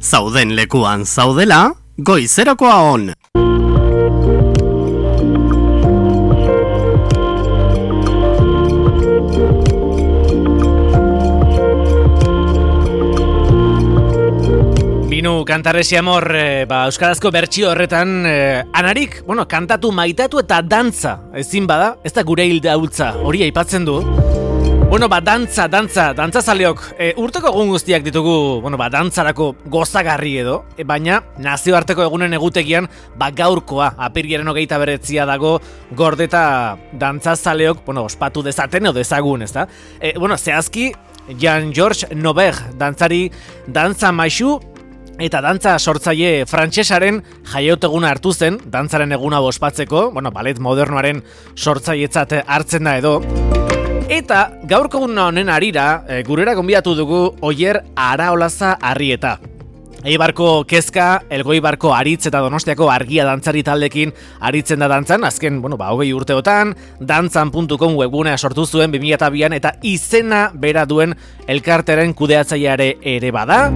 Zauden lekuan zaudela, goizerakoa on. Binu kantarresi amor, euskarazko bertsio horretan, anarik, kantatu, maitatu eta dantza, ezin bada, ez da gure hilda hultza, hori aipatzen du. Dantza zaleok, urteko egun guztiak ditugu, dantzarako gozagarri edo, baina nazioarteko egunen egutegian, gaurkoa, apirilaren 29 dago, gordeta dantza zaleok, ospatu dezaten edo dezagun, ez da? Zehazki, Jean-Georges Nover, dantzari, dantza maisu, eta dantza sortzaile frantsesaren jaioteguna hartu zen, dantzaren eguna ospatzeko, ballet modernoaren sortzailetzat hartzen da edo. Eta gaurko honen harira, gurera gonbidatu dugu Oier Araolaza Arrieta. Eibarko Kezka, Elgoibarko Aritz eta Donostiako Argia dantzari taldekin aritzen da dantzan, azken, 20 urteotan, dantzan.com webgunea sortu zuen 2002an eta izena bera duen elkarteren kudeatzaileare ere bada.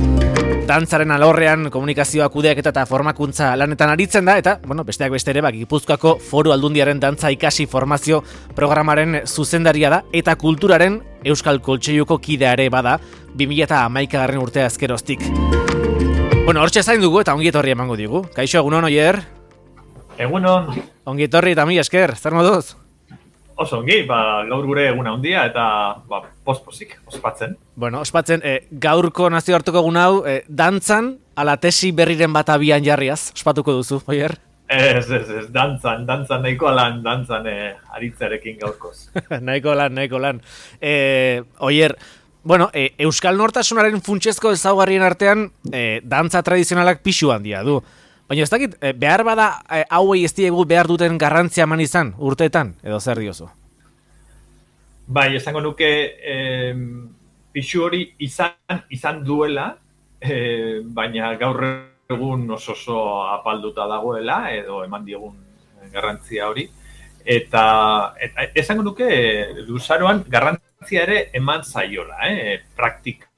Dantzaren alorrean komunikazioa kudeaketa eta formakuntza lanetan aritzen da, eta, besteak beste ere, Gipuzkoako Foru Aldundiaren dantza ikasi formazio programaren zuzendaria da, eta kulturaren Euskal Koltseiluko kidea ere bada, 2011 urtea azkeroztik. Hortxe zain dugu eta ongi etorri emango digu. Kaixo, egunon, Oier? Egunon. Ongi etorri eta mi esker, zer moduz? Oso ongi, gaur gure eguna handia eta pospozik, ospatzen. Ospatzen, gaurko nazioarteko egun hau, dantzan, ala tesi berriren bat abian jarriaz, ospatuko duzu, Oier? Ez, dantzan nahiko lan, dantzan aritzarekin gaurkoz. Nahiko lan. Oier, Euskal Nortasunaren funtsezko ezaugarrien artean, dantza tradizionalak pixu handia du. Baina ez dakit, behar bada hauei ez diegu behar duten garrantzia eman izan urteetan, edo zer diozu? Bai, esango nuke pixu hori izan duela, baina gaur egun oso apalduta dagoela, edo eman diegun garrantzia hori. Eta esango nuke luzaroan garrantzia ere eman zaiola, praktika.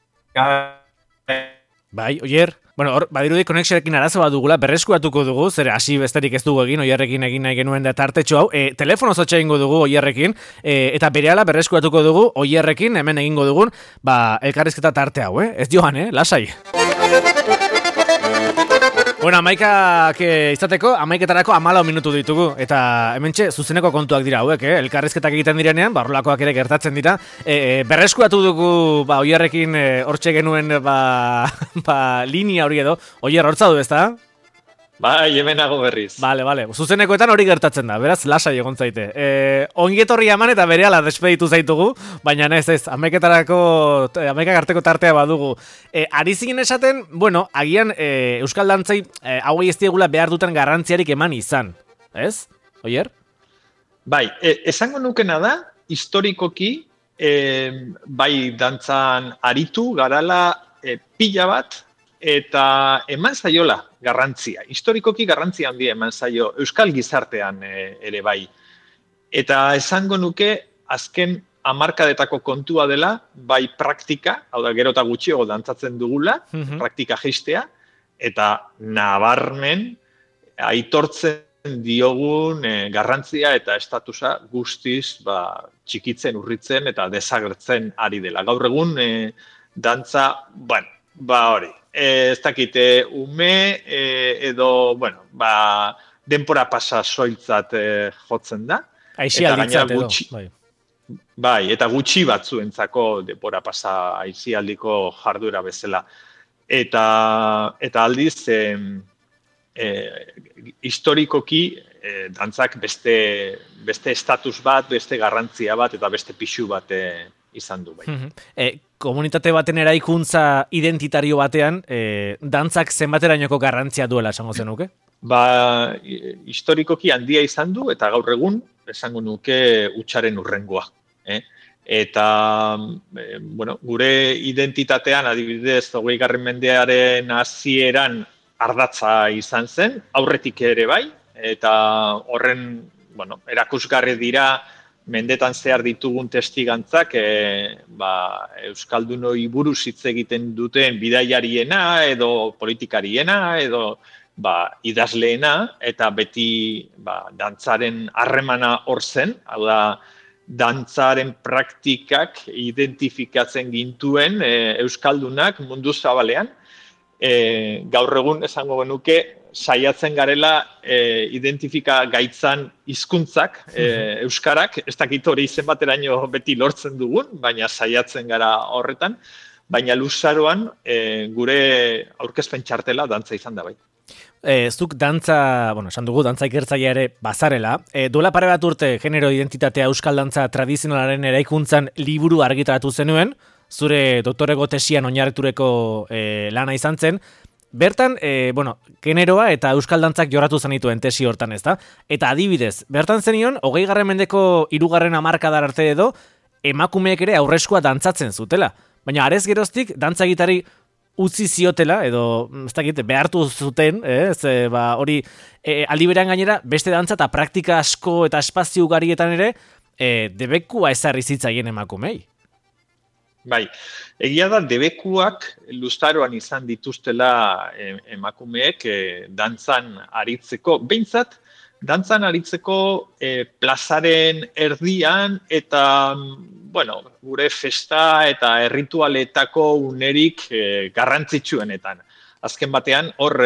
Bai, Oier? Badirudi konexioarekin arazo bat dugula, berreskuratuko dugu, zer hasi besterik ez dugu egin, Oierrekin egin nahi genuen da tartetxo hau. Telefonoz hotxa egingo dugu Oierrekin, eta berehala berreskuratuko dugu Oierrekin, hemen egingo dugun, elkarrizketa tarte hau, ez joan, lasai. Amaikak izateko, amaiketarako 14 minutu ditugu, eta hementxe zuzeneko kontuak dira hauek, elkarrizketak egiten direnean, horrelakoak ere gertatzen dira. Berreskuratu dugu Oierrekin hortxe genuen linia hori edo, Oier hortza du, ezta? Bai, hemenago berriz. Bale, zuzenekoetan hori gertatzen da, beraz, lasai egon zaite. Ongietorri eman eta berehala despeditu zaitugu, baina ez, amaikak arteko tartea badugu. Ari zinen esaten, agian Euskal Dantzai hauei ez diegula behar duten garrantziarik eman izan, ez? Oier? Bai, esango nukena da, historikoki, bai dantzan aritu, garala pila bat, eta eman zaiola garrantzia. Historikoki garrantzia handia eman zaio Euskal gizartean ere bai. Eta esango nuke azken hamarkadetako kontua dela, bai praktika, hau da gero eta gutxiago dantzatzen dugula, praktika jeistea, eta nabarmen aitortzen diogun garrantzia eta estatusa guztiz txikitzen, urritzen eta desagertzen ari dela. Gaur egun dantza, hori. Ez dakite, ume edo, denpora pasa soiltzat jotzen da. Aizialditzat edo. Bai, eta gutxi batzuentzako denpora pasa aizialdiko jarduera bezala. Eta aldiz, historikoki, dantzak beste estatus bat, beste garrantzia bat, eta beste pixu bat izan du bai. Komunitate baten eraikuntza identitario batean, dantzak zenbaterainoko garrantzia duela esango zenuke? Historikoki handia izan du, eta gaur egun, esango nuke hutsaren hurrengoa. Eta, gure identitatean, adibidez, 20. mendearen hasieran ardatza izan zen, aurretik ere bai, eta horren, erakusgarri dira, mendetan zehar ditugun testigantzak Euskaldunoi buruz hitz egiten duten bidaiariena edo politikariena edo idazleena, eta beti dantzaren harremana hor zen, hau da, dantzaren praktikak identifikatzen gintuen Euskaldunak mundu zabalean. Gaur egun esango genuke saiatzen garela identifika gaitzan hizkuntzak euskarak, ez dakit hori zenbateraino beti lortzen dugun, baina saiatzen gara horretan, baina luzaroan gure aurkezpen txartela dantza izan da bai. Zuk dantza, esan dugu, dantza ikertzailea ere bazarela. Duela pare bat urte genero identitatea euskal dantza tradizionalaren eraikuntzan liburu argitaratu zenuen, zure doktorego tesian oinarrituriko lana izan zen. Bertan, generoa eta euskal dantzak jorratu zenituen tesi hortan, ezta? Eta adibidez, bertan zenion, 20. mendeko 3. hamarkadar arte edo, emakumeek ere aurreskua dantzatzen zutela. Baina arez geroztik, dantza egitari utzi ziotela, edo, ez dakit, behartu zuten, hori, aldi berean gainera, beste dantza eta praktika asko eta espazio ugarietan ere, debekua ezarri zitzaien emakumei. Bai, egia da debekuak luzaroan izan dituztela emakumeek dantzan aritzeko, behintzat, dantzan aritzeko plazaren erdian eta, gure festa eta erritualetako unerik garrantzitsuenetan. Azken batean, hor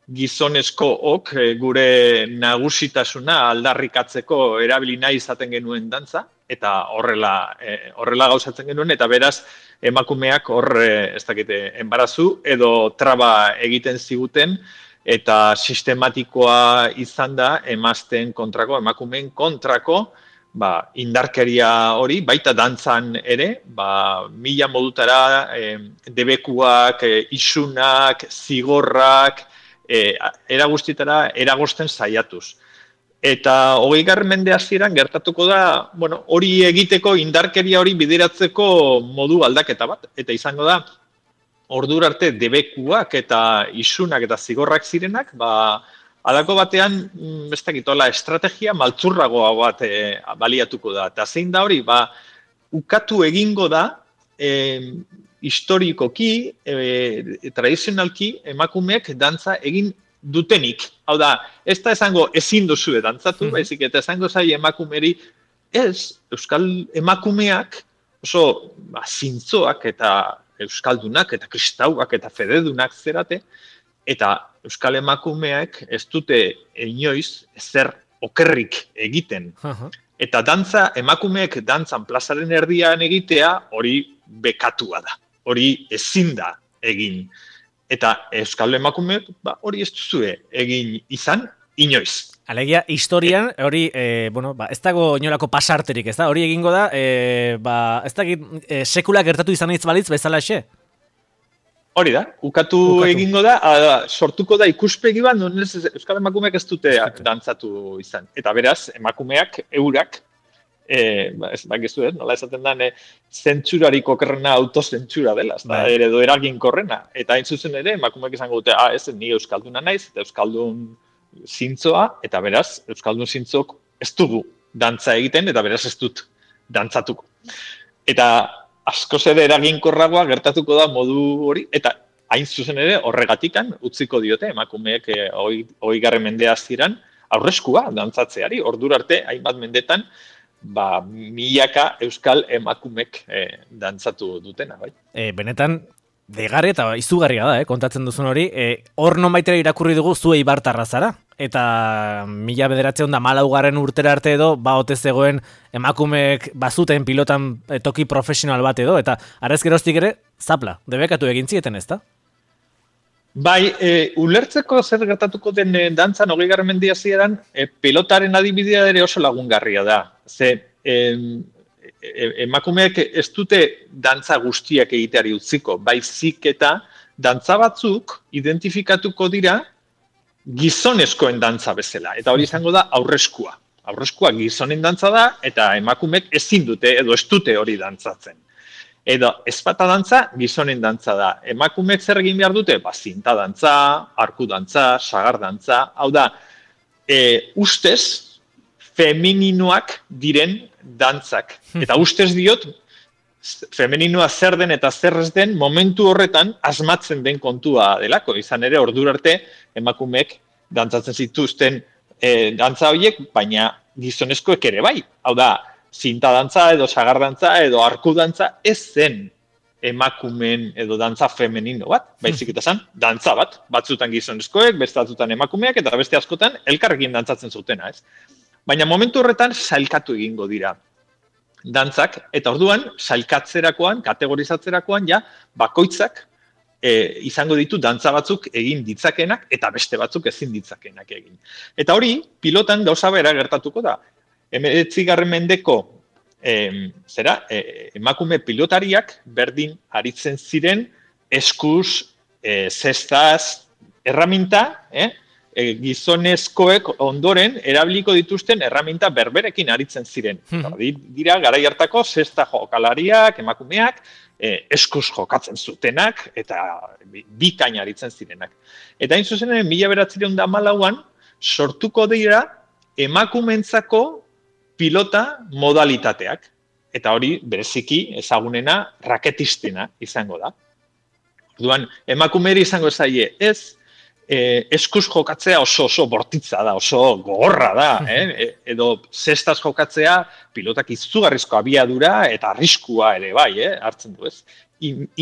gizonezkook gure nagusitasuna aldarrikatzeko erabili nahi izaten genuen dantza, eta horrela gauzatzen genuen, eta beraz emakumeak hor, enbarazu edo traba egiten ziguten, eta sistematikoa izan da emazteen kontrako, emakumeen kontrako, indarkeria hori, baita dantzan ere, mila modutara debekuak, isunak, zigorrak, era guztietara eragosten saiatuz. Eta 20. mende hasieran gertatuko da, hori egiteko, indarkeria hori bideratzeko modu aldaketa bat. Eta izango da, ordura arte debekuak eta isunak eta zigorrak zirenak, halako batean, ez dakitola, estrategia maltzurragoa bat baliatuko da. Eta zein da hori, ukatu egingo da, historikoki, tradizionalki, emakumeek dantza egin dutenik. Hau da, ez da esango ezin duzue dantzatu, baizik eta esango zai emakumeri, ez, euskal emakumeak oso zintzoak eta euskaldunak eta kristauak eta fededunak zerate, eta euskal emakumeak ez dute inoiz ezer okerrik egiten. Eta dantza, emakumeek dantzan plazaren erdian egitea hori bekatua da, hori ezin da egin. Eta euskal emakumeek hori ez duzue egin izan inoiz. Alegia, historian, hori, ez dago inolako pasarterik, ez da? Hori egingo da, ez dakit, sekula gertatu izan hitz balitz bezala xe? Hori da, ukatu egingo da, sortuko da ikuspegi bat, euskal emakumeak ez dute dantzatu izan. Eta beraz, emakumeak, eurak, nola esaten da, zentsurarik okerrena autozentsura dela, edo eraginkorrena. Eta hain zuzen ere, emakumeak izango dute, ez, ni euskalduna naiz, eta euskaldun zintzoa, eta beraz, euskaldun zintzok ez dugu dantza egiten, eta beraz ez dut dantzatuko. Eta askoz ere eraginkorragoa gertatuko da modu hori, eta hain zuzen ere horregatikan utziko diote emakumeek 20. mendea ziran aurreskua dantzatzeari, ordura arte, hainbat mendetan, milaka euskal emakumek dantzatu dutena, bai. Benetan, degarri eta izugarria da, kontatzen duzun hori, hor nonbaitera irakurri dugu zu Eibartarra zara, eta 1914 urtera arte edo, ote zegoen emakumeek bazuten pilotan toki profesional bat edo, eta arez geroztik ere, zapla, debekatu egin zieten, ez da? Bai, ulertzeko zer gertatuko den dantzan 20. mendea zieran, pilotaren adibidea ere oso lagungarria da. Ze, emakumeak ez dute dantza guztiak egiteari utziko, baizik eta dantza batzuk identifikatuko dira gizonezkoen dantza bezala. Eta hori izango da aurreskua. Aurreskua gizonen dantza da, eta emakumeek ezin dute edo ez dute hori dantzatzen. Edo ezpata dantza, gizonen dantza da. Emakumeek zer egin behar dute? Zinta dantza, arku dantza, sagar dantza. Hau da, ustez, femininoak diren dantzak. Eta ustez diot, femeninoa zer den eta zer ez den momentu horretan asmatzen den kontua delako. Izan ere, ordura arte emakumeek dantzatzen zituzten dantza horiek, baina gizonezkoek ere bai. Hau da, zinta dantza edo sagar dantza edo arku dantza ez zen emakumeen edo dantza femenino bat, baizik eta zen dantza bat. Batzutan gizonezkoek, beste batzutan emakumeak eta beste askotan elkarrekin dantzatzen zutena, ez? Baina momentu horretan sailkatu egingo dira dantzak, eta orduan sailkatzerakoan, kategorizatzerakoan, ja, bakoitzak izango ditu dantza batzuk egin ditzakenak eta beste batzuk ezin ditzakenak egin. Eta hori, pilotan gauza bera gertatuko da. 19. mendeko emakume pilotariak berdin aritzen ziren eskuz, zestaz, erraminta, gizonezkoek ondoren erabiliko dituzten erraminta berberekin aritzen ziren. Dira, garai hartako zesta jokalariak, emakumeak, eskuz jokatzen zutenak eta bikain aritzen zirenak. Eta hain zuzenen, 1914an sortuko dira emakumentzako pilota modalitateak. Eta hori, bereziki, ezagunena, raketistena izango da. Orduan, emakumeri izango zaie, ez, eskuz jokatzea oso bortitza da, oso gogorra da, edo zestaz jokatzea pilotak izugarrizko abiadura eta arriskua ere bai, hartzen du ez.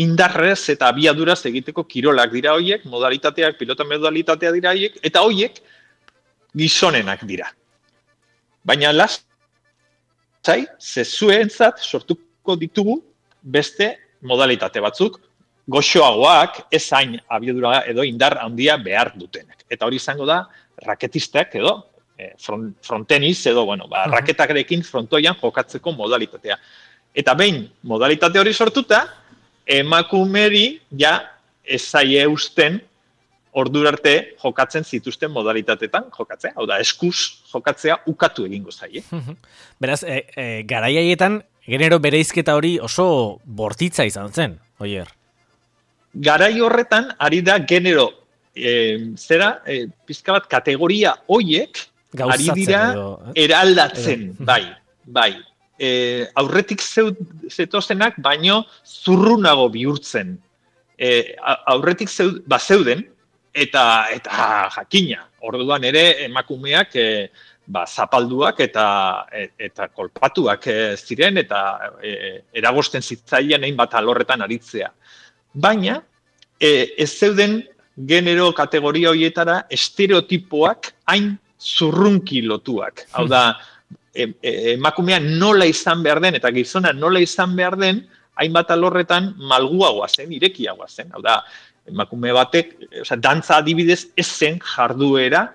Indarrez eta abiaduraz egiteko kirolak dira hoiek, modalitateak, pilota modalitatea dira hoiek, eta hoiek gizonenak dira. Baina lasai, zezuentzat sortuko ditugu beste modalitate batzuk, goxoagoak, ez hain abiadura edo indar handia behar dutenak. Eta hori izango da, raketistak edo, fronteniz edo, raketarekin frontoian jokatzeko modalitatea. Eta behin, modalitate hori sortuta, emakumeri ja ezaie usten ordura arte jokatzen zituzten modalitatetan jokatzea. Hau da, eskuz jokatzea ukatu egingo zaie. Beraz, garai haietan, genero bereizketa hori oso bortitza izan zen, Oier. Garai horretan, ari da genero, pizka bat kategoria hoiek, ari dira eraldatzen, bai. Aurretik zetozenak, baino zurrunago bihurtzen. Aurretik bazeuden, eta jakina. Orduan ere, emakumeak zapalduak eta kolpatuak ziren, eta eragosten zitzaien hainbat alorretan aritzea. Baina, ez zeuden genero kategoria horietara estereotipoak hain zurrunki lotuak. Hau da, emakumea nola izan behar den, eta gizona nola izan behar den, hainbat alorretan malguagoa zen, irekiagoa zen. Hau da, emakume batek, dantza adibidez, ez zen jarduera,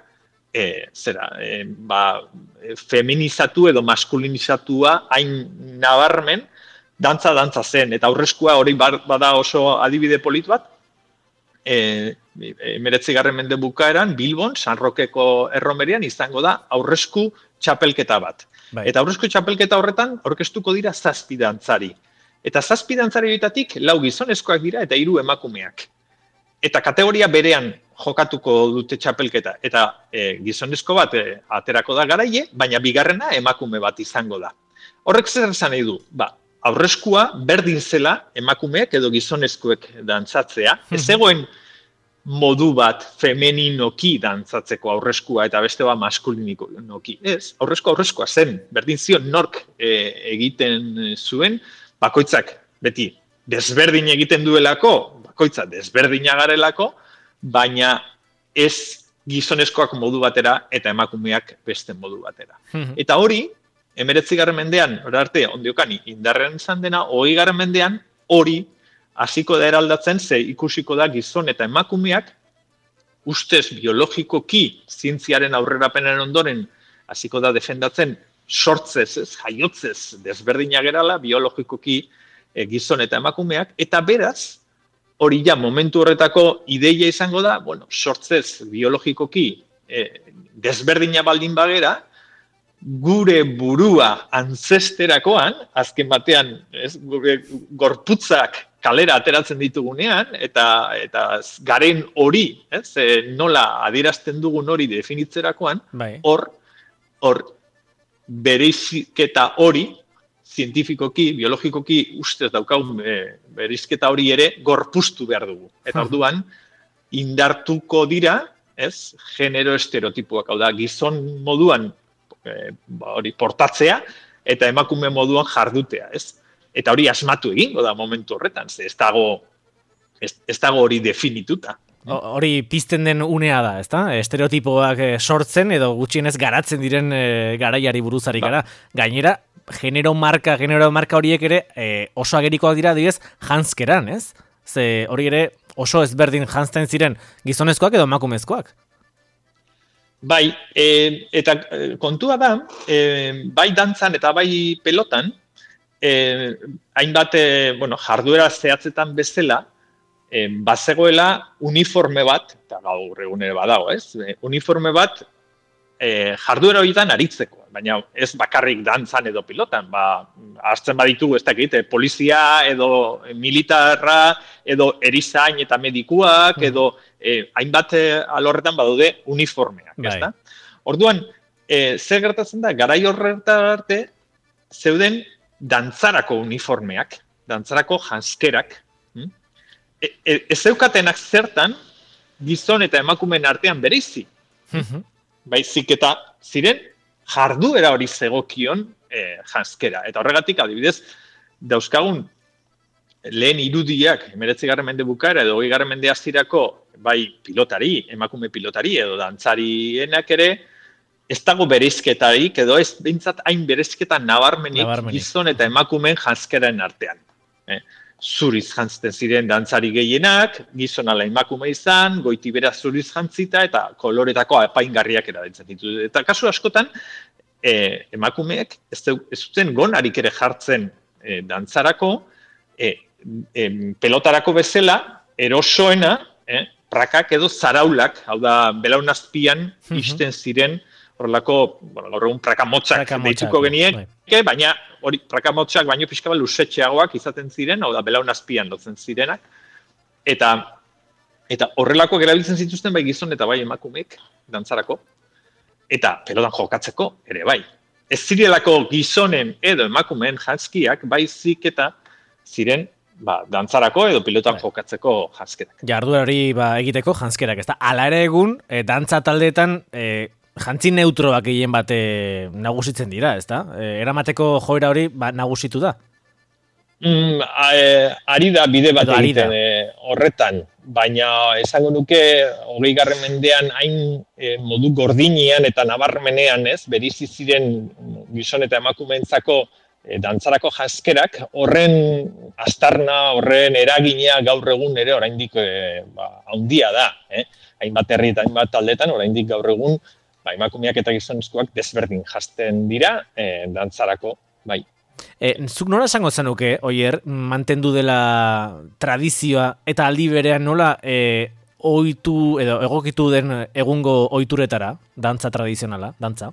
feminizatu edo maskulinizatua hain nabarmen, dantza zen, eta aurreskua hori bada oso adibide polit bat, 19. mende bukaeran, Bilbon, San Rokeko erromerian, izango da aurresku txapelketa bat. Eta aurresku txapelketa horretan, aurkeztuko dira 7 dantzari. Eta 7 dantzari horietatik 4 gizonezkoak dira eta 3 emakumeak. Eta kategoria berean jokatuko dute txapelketa. Eta gizonezko bat aterako da garaile, baina bigarrena emakume bat izango da. Horrek zer esan nahi du? Aurreskua berdin zela emakumeek edo gizonezkoek dantzatzea. Ez zegoen modu bat femeninoki dantzatzeko aurreskua eta beste bat maskulinikoki. Ez, aurreskoa zen. Berdin zion nork egiten zuen, bakoitzak beti desberdin egiten duelako, bakoitza desberdina garelako, baina ez gizonezkoak modu batera eta emakumeak beste modu batera. Eta hori, 19. mendean, arte, ondiokani, indarrean izan dena, 20. mendean, hori hasiko da eraldatzen, ze ikusiko da gizon eta emakumeak, ustez biologikoki, zientziaren aurrerapenaren ondoren, hasiko da defendatzen, sortzez, jaiotzez, desberdina gerala, biologikoki gizon eta emakumeak, eta beraz, hori ja momentu horretako ideia izango da, sortzez biologikoki desberdina baldin bagera, gure burua antzesterakoan, azken batean, gure gorputzak kalera ateratzen ditugunean, eta garen hori, nola adierazten dugun hori definitzerakoan, hor bereizketa hori, zientifikoki, biologikoki ustez daukagun bereizketa hori ere gorpuztu behar dugu. Eta orduan, indartuko dira, ez, genero estereotipoak, hau da, gizon moduan hori portatzea, eta emakume moduan jardutea, ez? Eta hori asmatu egingo da momentu horretan, ze ez dago hori definituta. Hori pizten den unea da, ezta? Estereotipoak sortzen edo gutxienez garatzen diren garaiari buruzari gara. Gainera, genero marka horiek ere oso agerikoak dira adibidez janzkeran, ez? Ze hori ere oso ezberdin janzten ziren gizonezkoak edo emakumezkoak. Bai, eta kontua da, bai dantzan eta bai pelotan, hainbat jarduera zehatzetan bezala, bazegoela uniforme bat, eta gaur egun ere badago, ez? Uniforme bat jarduera horietan aritzeko, baina ez bakarrik dantzan edo pilotan, hartzen baditugu ez dakit, polizia edo militarra edo erizain eta medikuak edo hainbat alorretan badaude uniformeak, ezta? Orduan, zer gertatzen da, garai horretan arte zeuden dantzarako uniformeak, dantzarako janzkerak, ez zeukatenak zertan gizon eta emakumeen artean bereizi. Baizik eta ziren jarduera hori zegokion janzkera. Eta horregatik, adibidez, dauzkagun lehen irudiak, 19. mende bukaera edo 20. mende hasierako bai pilotari, emakume pilotari edo dantzarienak ere, ez dago bereizketarik edo ez behintzat hain bereizketa nabarmenik gizon eta emakumeen janzkeraren artean. Zuriz jantzten ziren dantzari gehienak, gizon ala emakume izan, goitibera zuriz jantzita eta koloretako apaingarriak erabiltzen ditu. Eta kasu askotan, emakumeek ez zuten gonarik ere jartzen dantzarako, pelotarako bezala, erosoena, prakak edo zaraulak, hau da, belaun azpian isten ziren, horrelako, gaur egun prakamotxak deituko geniek, baina hori prakamotxak baino pixka bat luzetxeagoak izaten ziren, hau da, belaun azpian lotzen zirenak, eta horrelakoak erabiltzen zituzten bai gizon eta bai emakumeek dantzarako, eta pelotan jokatzeko ere bai. Ez zirelako gizonen edo emakumeen janzkiak baizik eta ziren dantzarako edo pilotan jokatzeko janzkerak. Jarduera hori egiteko janzkerak, ezta? Hala ere egun, dantza taldeetan jantzi neutroak gehien bat nagusitzen dira, ezta? Eramateko joera hori nagusitu da? Ari da bide bat egiten horretan, baina esango nuke 20. mendean hain modu gordinean eta nabarmenean, ez, berizi ziren gizon eta emakumeentzako dantzarako janzkerak, horren aztarna, horren eragina gaur egun ere oraindik handia da, hainbat herri eta hainbat taldetan oraindik gaur egun emakumeak eta gizonezkoak desberdin janzten dira dantzarako, bai. Zuk nola esango zenuke, Oier, mantendu dela tradizioa eta aldi berean nola ohitu edo egokitu den egungo ohituretara, dantza tradizionala, dantza?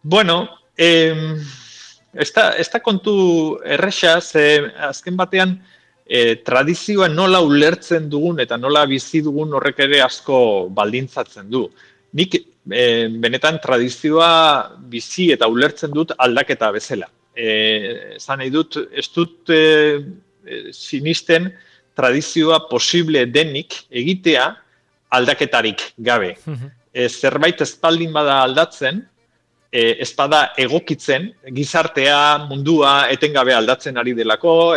Bueno, ez da kontu erresa, azken batean tradizioa nola ulertzen dugun eta nola bizi dugun horrek ere asko baldintzatzen du. Nik benetan tradizioa bizi eta ulertzen dut aldaketa bezala. Esan nahi dut, ez dut sinisten tradizioa posible denik egitea aldaketarik gabe. Zerbait espaldin bada aldatzen, ez bada egokitzen, gizartea, mundua etengabe aldatzen ari delako,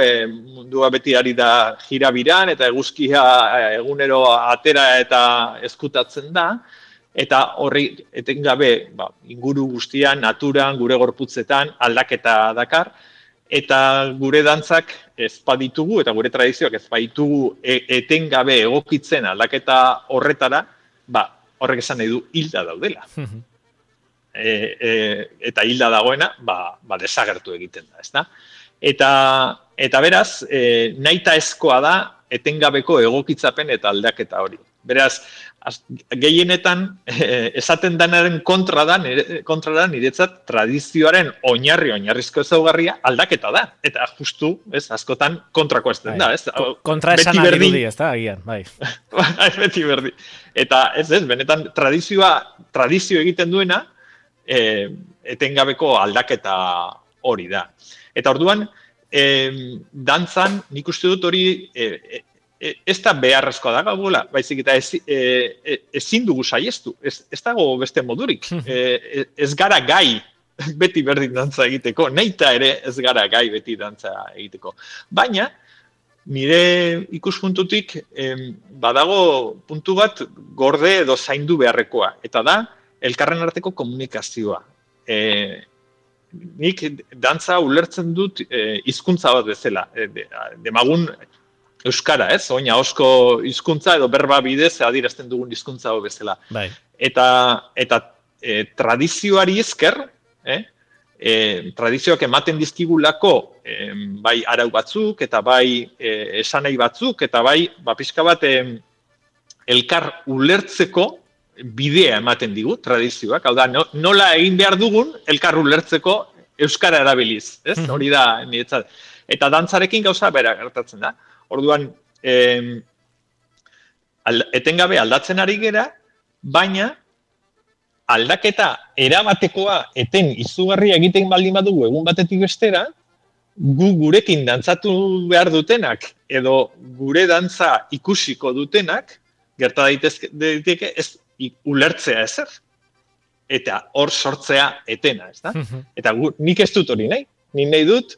mundua beti ari da jirabiran eta eguzkia egunero atera eta ezkutatzen da, eta horri etengabe inguru guztian, naturan, gure gorputzetan aldaketa dakar, eta gure dantzak ez baditugu, eta gure tradizioak ez baditugu etengabe egokitzen aldaketa horretara, horrek esan nahi du hilda daudela. Eta hilda dagoena, desagertu egiten da, ezta? Eta beraz, nahitaezkoa da etengabeko egokitzapen eta aldaketa hori. Beraz, gehienetan esaten danaren kontra da niretzat tradizioaren oinarrizko ezaugarria aldaketa da. Eta justu, askotan kontrako ez den da, ez? Kontra esan dirudi, ez da, agian, bai. Beti berdi. Eta benetan tradizio egiten duena, etengabeko aldaketa hori da. Eta orduan, dantzan nik uste dut hori ez da beharrezkoa da gaugula, baizik eta ezin dugu saiestu, ez dago beste modurik. Ez gara gai beti berdin dantza egiteko, nahita ere ez gara gai beti dantza egiteko. Baina, nire ikuspuntutik badago puntu bat gorde edo zaindu beharrekoa, eta da elkarren arteko komunikazioa. Nik dantza ulertzen dut hizkuntza bat bezala, demagun euskara, ez? Oina ahozko hizkuntza edo berba bidez adierazten dugun hizkuntza bat bezala. Bai. Eta tradizioari esker, tradizioak ematen dizkigulako bai arau batzuk eta bai esanai batzuk eta bai pixka bat elkar ulertzeko bidea ematen digu tradizioak. Hau da, nola egin behar dugun elkar ulertzeko euskara erabiliz, ez? Hori da niretzat. Eta dantzarekin gauza bera gertatzen da. Orduan, etengabe aldatzen ari gera, baina aldaketa erabatekoa eten izugarria egiten baldin badugu egun batetik bestera, gurekin dantzatu behar dutenak edo gure dantza ikusiko dutenak, gerta daiteke ez ulertzea ezer. Eta hor sortzea etena, ez da? Eta nik ez dut hori nahi. Nik nahi dut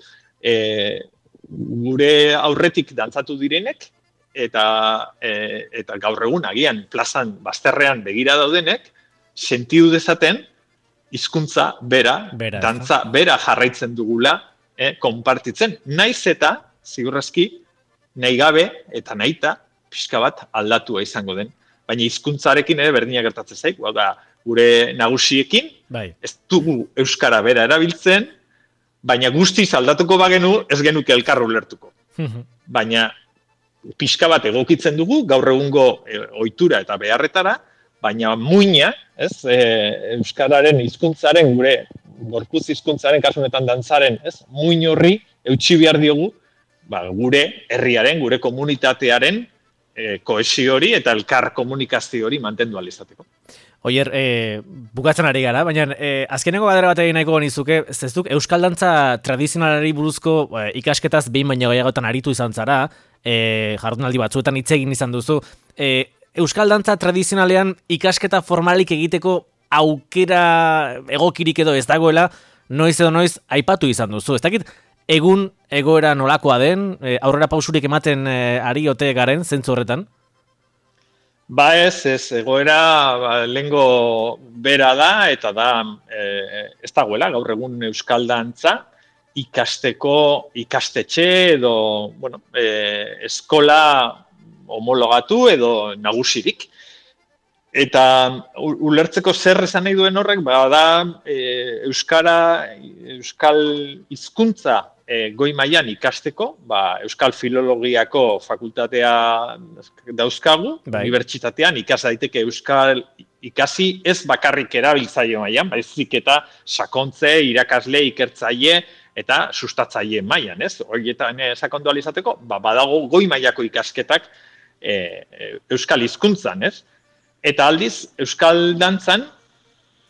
gure aurretik dantzatu direnek eta gaur egun agian plazan bazterrean begira daudenek sentidu dezaten hizkuntza bera, dantza bera jarraitzen dugula konpartitzen. Naiz eta, ziurrezki, nahi gabe eta nahita pixka bat aldatua izango den. Baina hizkuntzarekin ere berdina gertatzen zaik, gure nagusiekin, ez dugu euskara bera erabiltzen, baina guztiz aldatuko bagenu ez genuke elkar ulertuko. Baina pixka bat egokitzen dugu gaur egungo ohitura eta beharretara, baina muina, ez, euskararen hizkuntzaren gure gorputz hizkuntzaren kasunetan dantzaren, ez, muin horri eutsi behar diogu, gure herriaren, gure komunitatearen kohesio hori eta elkar komunikazio hori mantendu ahal izateko. Oier, bukatzen ari gara, baina azkeneko galdera bat egin nahiko nizuke, ez duk, euskal dantza tradizionalari buruzko ikasketaz behin baina gehiagotan aritu izan zara, jardunaldi batzuetan hitz egin izan duzu. Euskal dantza tradizionalean ikasketa formalik egiteko aukera egokirik edo ez dagoela, noiz edo noiz aipatu izan duzu. Ez dakit, egun egoera nolakoa den, aurrera pausurik ematen ari ote garen, zentzu horretan? Ez, egoera lehengo bera da, eta da ez dagoela, gaur egun euskal dantza ikastetxe edo eskola homologatu edo nagusirik. Eta ulertzeko zer esan nahi duen horrek, da euskal hizkuntza goi mailan ikasteko, euskal filologiako fakultatea dauzkagu, unibertsitatean ikas daiteke euskal ikasi ez bakarrik erabiltzaile mailan, baizik eta sakontze, irakasle, ikertzaile eta sustatzaile mailan, ez? Horietan sakondu ahal izateko, badago goi mailako ikasketak euskal hizkuntzan, ez? Eta aldiz, euskal dantzan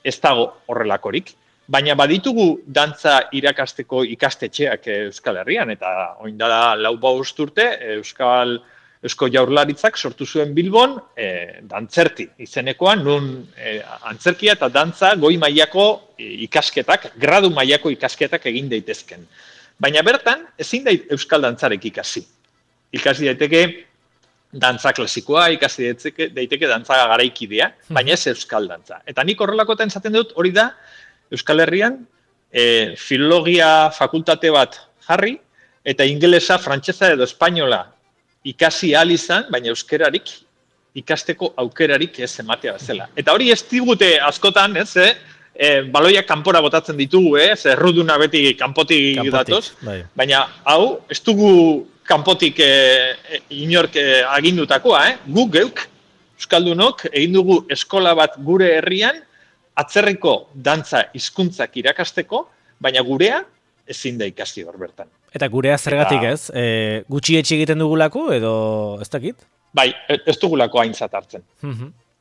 ez dago horrelakorik. Baina baditugu dantza irakasteko ikastetxeak Euskal Herrian, eta oindala 4-5 urte Eusko Jaurlaritzak sortu zuen Bilbon dantzerti izenekoa, nun antzerkia eta dantza goi mailako ikasketak, gradu mailako ikasketak egin daitezken. Baina bertan, ezin da euskal dantzarek ikasi. Ikasi daiteke dantza klasikoa, ikasi daiteke dantza garaikidea, baina ez euskal dantza. Eta nik horrelakoetan esaten dut, hori da, Euskal Herrian filologia fakultate bat jarri, eta ingelesa, frantsesa edo espainola ikasi ahal izan, baina euskerarik ikasteko aukerarik ez ematea bezala. Eta hori ez digute askotan, ez, baloiak kanpora botatzen ditugu, erruduna beti kanpotik datoz, baina hau, ez dugu kanpotik inork agindutakoa, guk geuk, euskaldunok, egin dugu eskola bat gure herrian, atzerriko dantza hizkuntzak irakasteko, baina gurea ezin da ikasi hor bertan. Eta gurea zergatik ez? Gutxietsi egiten dugulako edo ez dakit? Bai, ez dugulako aintzat hartzen.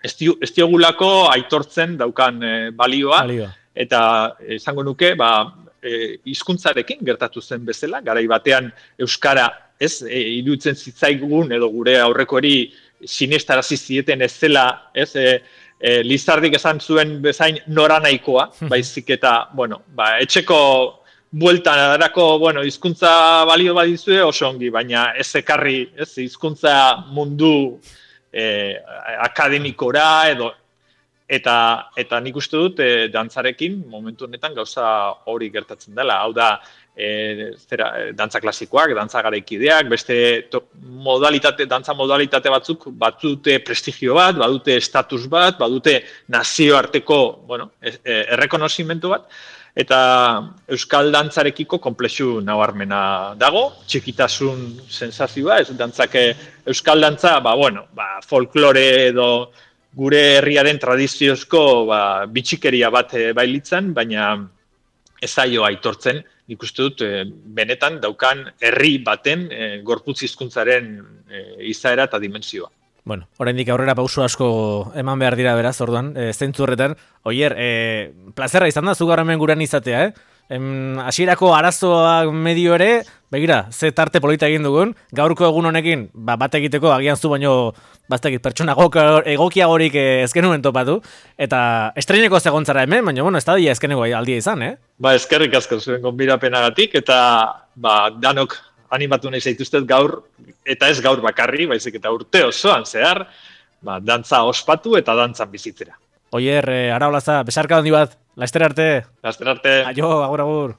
Ez diogulako aitortzen daukan balioa, eta esango nuke, hizkuntzarekin gertatu zen bezala, garai batean euskara, ez, iruditzen zitzaigun edo gure aurrekori sinestarazi zieten ez zela, ez, Lizardik esan zuen bezain noranahikoa, baizik eta, etxeko bueltan adarako, hizkuntza balio badizue oso ongi, baina ez ekarri, ez, hizkuntza mundu akademikora edo eta nik uste dut dantzarekin momentu honetan gauza hori gertatzen dela. Hau da, dantza klasikoak, dantza garaikideak, beste dantza modalitate batzuk badute prestigio bat, badute estatus bat, badute nazioarteko, errekonozimentu bat, eta euskal dantzarekiko konplexu nabarmena dago, txikitasun sensazioa, ez dantzake euskal dantza, folklore edo gure herriaren tradiziozko bitxikeria bat bailitzan, baina ez zaio aitortzen, nik uste dut benetan daukan herri baten gorputz hizkuntzaren izaera eta dimentsioa. Oraindik aurrera pauso asko eman behar dira beraz, orduan, zentzu horretan. Oier, plazerra izan da, zu gaur hemen gurean izatea, hasierako arazoak medio ere, begira, ze tarte polita egin dugun, gaurko egun honekin, bat egiteko, agian zu baino, pertsona egokiagorik ez genuen topatu, eta estreineko zegontzara hemen, baina, ez da dia ezkeneko aldia izan, Eskerrik asko zuen gonbidapenagatik, eta danok animatu nahi zaituztet gaur, eta ez gaur bakarri, baizik eta urte osoan zehar, dantza ospatu eta dantzan bizitzera. Oier, ara holaza, besarka handi bat, laster arte. Laster arte. Aio, agur.